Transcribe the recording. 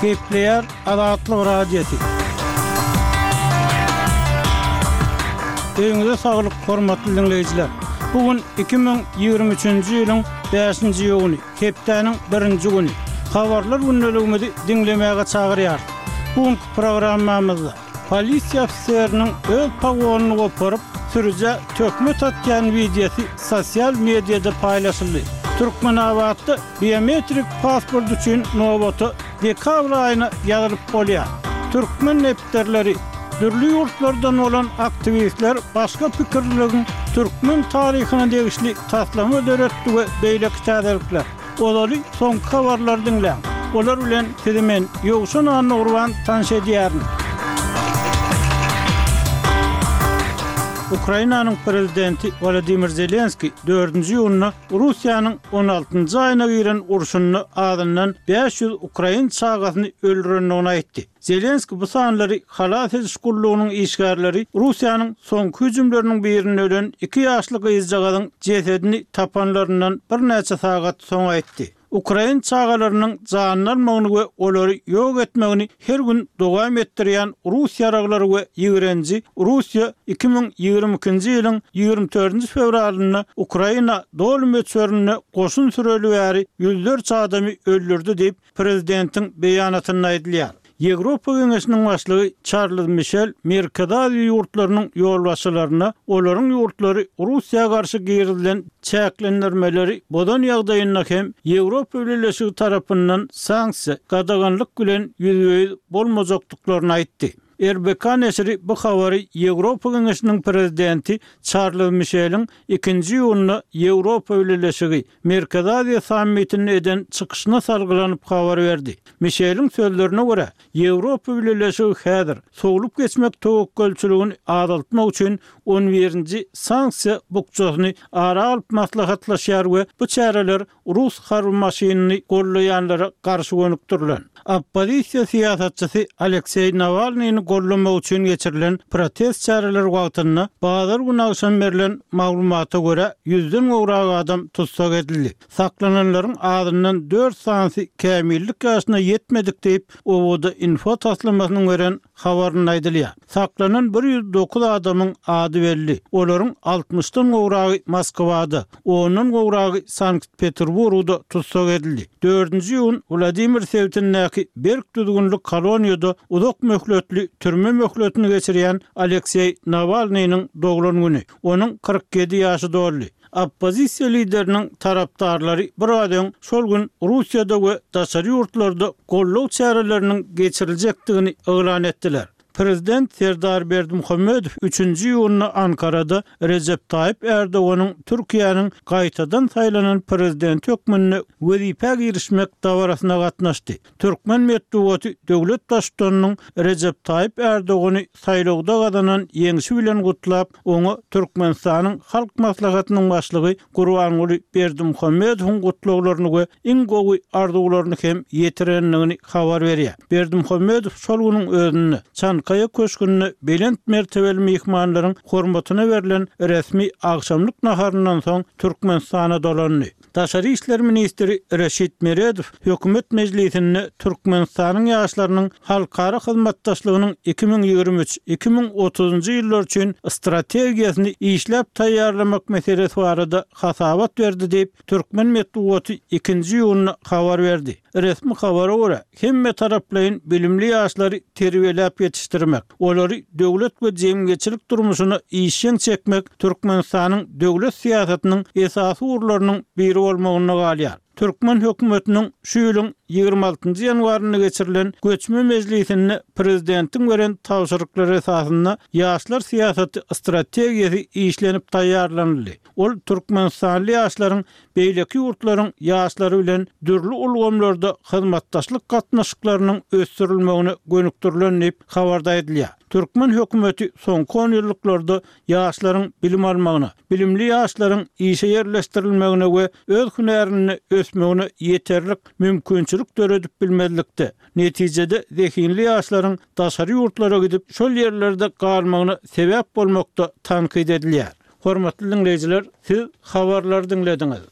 Gepleýär Azatlyk Radiosy. Öýüňize saglyk, hormatly diňleýjiler! Bu gün 2023-nji ýylyň bäşinji iýuny, hepdäniň birinji güni. Habarlar gündeligimizi diňlemäge çagyrýarys. Bu günki programmamyzda polisiýa ofiseriniň öz pogonyny goparyp, sürüjä töhmet atýan wideosy sosial mediada paýlaşyldy. Türkmenabatda Biometrik pasport üçin nobata dekabr aýyna ýazylyp bolýar. Türkmen depderleri, dürli ýurtlardan bolan aktiwistler başga pikirliligiň türkmen taryhyna degişli taslama döretdi we beýleki täzelikler. Ozaly soňky habarlary diňläň. Olar bilen sizi men, Ýowşan Annagurban tanyş edýärin. Ukrainanyň prezidenti Wolodymyr Zelenskiý dördünji iýunda Russiýanyň on altynjy aýyna giren urşunda azyndan 500 ukrain çagasyny öldürendigini aýtdy. Zelenskiý bu sanlary halas ediş gullugynyň işgärleri Russiýanyň soňky hüjümleriniň birinde ölen iki ýaşly gyzjagazyň jesedini tapanlaryndan birnäçe sagat soň aýtdy. Ukrain çagalarynyň janyny almagyny we olary ýok etmegini her gün dowam etdirýän rus ýaraglary we ýigrenji Russiýa 2022-nji ýylyň 24-nji fewralynda Ukraina doly möçberinde goşun süreli bäri ýüzlerçe adamy öldürdi diýip, prezidentiň beýanatynda aýdylýar. Ýewropa Geňeşiniň başlygy Çarlz Mişel Merkezi Aziýa ýurtlarynyň ýolbaşçylaryna olaryň ýurtlary Russiýa garşy girizilen çäklendirmeleri bozan ýagdaýynda hem Ýewropa Bileleşigi tarapyndan sanksiýa, gadaganlyk bilen ýüzbe-ýüz bolmajakdyklaryny aýtdy. RBK neşiri bu habary Ýewropa Geňeşiniň prezidenti Çarlz Mişeliň ikinji iýunda Ýewropa Bileleşigi, Merkezi Aziýa sammitinde eden çykyşyna salgylanyp habar berdi. Mişeliň sözlerine görä, Ýewropa Bileleşigi häzir sowlup geçmek töwekgelçiligini azaltmak üçin on birinji sanksiýa bukjasyny ara alyp maslahatlaşýar we bu çäreler rus harby maşynyny gollaýanlara garşy gönükdirilen. Oppozisiýa syýasatçysy Alekseý Nawalnyny gollamak üçin geçirilen protest çäreleri wagtynda bazar güni agşam berlen maglumata görä, ýüzden gowrak adam tussag edildi. Saklananlaryň azyndan dört sanysy kämillik ýaşyna ýetmedik diýip, OWD-Info taslamasynyň beren habarynda aýdylýar. Saklanan 109 adamyň ady belli. Olaryň altmyşdan gowragy Moskwada, ondan gowragy Sankt-Peterburgda tussag edildi. Dördünji iýun Wladimir sebitindäki berk düzgünli koloniýada uzak möhletli türme möhletini geçirýän Alekseý Nawalnynyň doglan güni. Onuň 47 ýaşy doldy. Oppozisiýa lideriniň tarapdarlary biraz öň şol gün Russiýada we daşary ýurtlarda goldaw çäreleriniň geçiriljekdigini yglan etdiler. Prezident Serdar Berdimuhamedow üçünji iýunda Ankarada Rejep Taýyp Ärdoganyň Türkiýäniň gaýtadan saýlanan prezidenti hökmünde wezipä girişmek dabarasyna gatnaşdy. Türkmen metbugaty döwlet Baştutanynyň Rejep Taýyp Ärdogany saýlawda gazanan ýeňşi bilen gutlap, oňa Türkmenistanyň Halk Maslahatynyň Başlygy Gurbanguly Berdimuhamedowyň gutlaglaryny we iň gowy arzuwlaryny hem ýetirendigini habar berýär. Berdimuhamedow şol günüň özünde Çankaýa köşgünde belent mertebeli myhmanlaryň hormatyna berlen resmi agşamlyk naharyndan soň Türkmenistana dolandy. Daşary işler ministri Reşit Meredow Hökümet mejlisinde Türkmenistanyň ýaşlarynyň halkara hyzmatdaşlygynyň 2023, 2030-njy ýyllar üçin strategiýasyny işläp taýýarlamak meselesi barada hasabat berdi diýip, türkmen metbugaty ikinji iýunda habar berdi. Resmi habara görä, hemmetaraplaýyn bilimli ýaşlary terbiýeläp ýetişdirmek, olary döwlet we jemgyýetçilik durmuşyna işjeň çekmek Türkmenistanyň döwlet syýasatynyň esasy ugurlarynyň biri bolmagynda galýar. Türkmen hökümetiniň şu ýylyň 26-njy ýanwarynda geçirilen göçme mejlisinde prezidentiň beren tabşyryklary esasynda ýaşlar syýasaty strategiýasy işlenip taýýarlanyldy. Ol türkmenistanly ýaşlaryň beýleki ýurtlaryň ýaşlary bilen dürli ulgamlarda hyzmatdaşlyk gatnaşyklarynyň ösdürilmegine gönükdirilen diýip, habarda aýdylýar. Türkmen hökümeti soňky onýyllyklarda ýaşlaryň bilim almagyna, bilimli ýaşlaryň işe ýerleşdirilmegine we öz hünärinde ösmegine ýeterlik mümkinçilik döredip bilmezlikde, netijede zehinli ýaşlaryň daşary ýurtlara gidip, şol ýerlerde galmagyna sebäp bolmakda tankyt edilýär. Hormatly diňleýjiler, siz habarlary diňlediňiz.